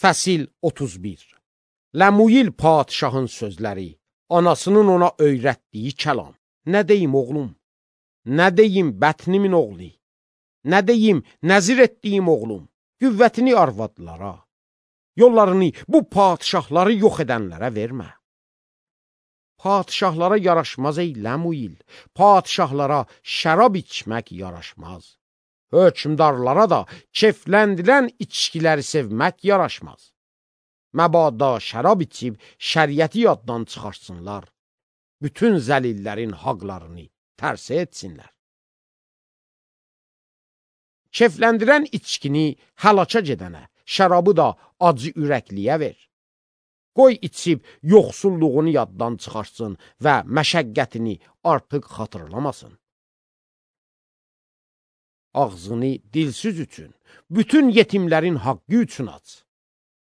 Fəsil 31. Ləmuyil padişahın sözləri, anasının ona öyrətdiyi kəlam. Nə deyim oğlum? Nə deyim bətnimin oğlu? Nə deyim nəzir etdiyim oğlum? Qüvvətini arvadlara, yollarını bu padişahları yox edənlərə vermə. Padişahlara yaraşmaz ey Ləmuyil, padişahlara şərab içmək yaraşmaz. Hökmdarlara da kefləndirən içkiləri sevmək yaraşmaz. Məbada şərab içib şəriəti yaddan çıxarsınlar, bütün zəlillərin haqlarını tərsə etsinlər. Kefləndirən içkini həlaka gedənə, şərabı da acı ürəkliyə ver. Qoy içib yoxsulluğunu yaddan çıxarsın və məşəqqətini artıq xatırlamasın. Ağzını dilsiz üçün, bütün yetimlərin haqqı üçün aç.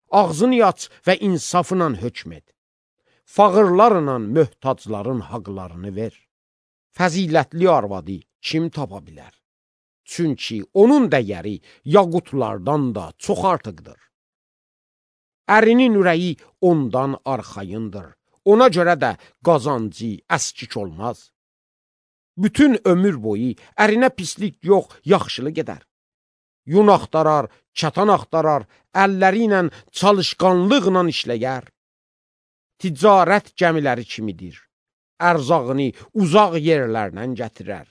Ağzını aç və insafla hökm et. Fağırlarla möhtacların haqlarını ver. Fəzilətli arvadı kim tapa bilər? Çünki onun dəyəri yaqutlardan da çox artıqdır. Ərinin ürəyi ondan arxayındır. Ona görə də qazancı əskik olmaz. Bütün ömür boyu ərinə pislik yox, yaxşılıq edər. Yun axtarar, çatan axtarar, əlləri ilə çalışqanlıqla işləyər. Ticarət gəmiləri kimidir. Ərzağını uzaq yerlərdən gətirər.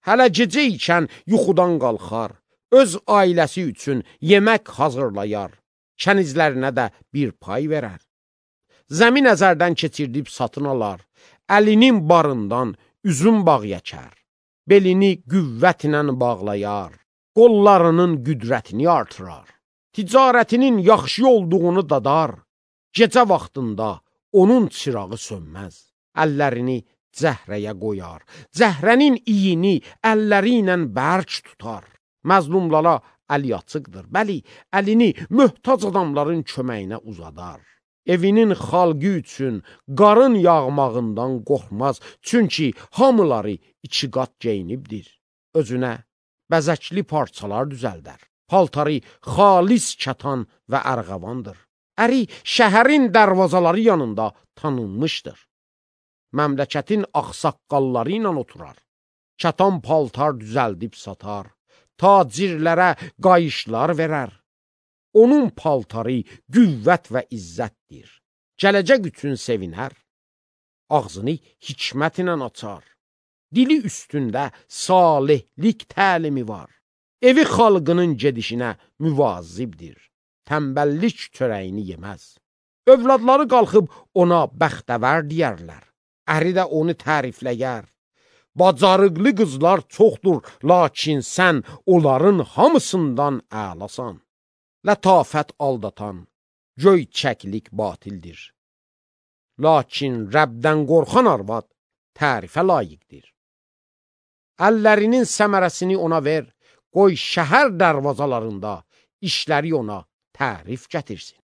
Hələ gecə ikən yuxudan qalxar, öz ailəsi üçün yemək hazırlayar, kənizlərinə də bir pay verər. Zəmin əzərdən keçirdib satın alar, əlinin barından üzüm bağ yəkər, belini qüvvətlə bağlayar, qollarının qüdrətini artırar, ticarətinin yaxşı olduğunu dadar, gecə vaxtında onun çırağı sönməz, əllərini cəhrəyə qoyar, cəhrənin iyini əlləri ilə bərk tutar, məzlumlara əli açıqdır, bəli, əlini möhtac adamların köməyinə uzadar. Evinin xalqı üçün qarın yağmağından qorxmaz, çünki hamıları iki qat geyinibdir. Özünə bəzəkli parçalar düzəldər, paltarı xalis kətan və ərğavandır. Əri şəhərin dərvazaları yanında tanınmışdır. Məmləkətin ağsaqqalları ilə oturar, kətan paltar düzəldib satar, tacirlərə qayışlar verər. Onun paltarı qüvvət və izzətdir. Gələcək üçün sevinər. Ağzını hikmətlə açar. Dili üstündə salihlik təlimi var. Evi xalqının gedişinə müvazibdir. Təmbəllik çörəyini yeməz. Övladları qalxıb ona bəxtəvər deyərlər. Əri də onu tərifləyər. Bacarıqlı qızlar çoxdur, lakin sən onların hamısından əlasan. Lətafət aldatan, göyçəklik batildir. Lakin Rəbdən qorxan arvad tərifə layiqdir. Əllərinin səmərəsini ona ver, qoy şəhər dərvazalarında işləri ona tərif gətirsin.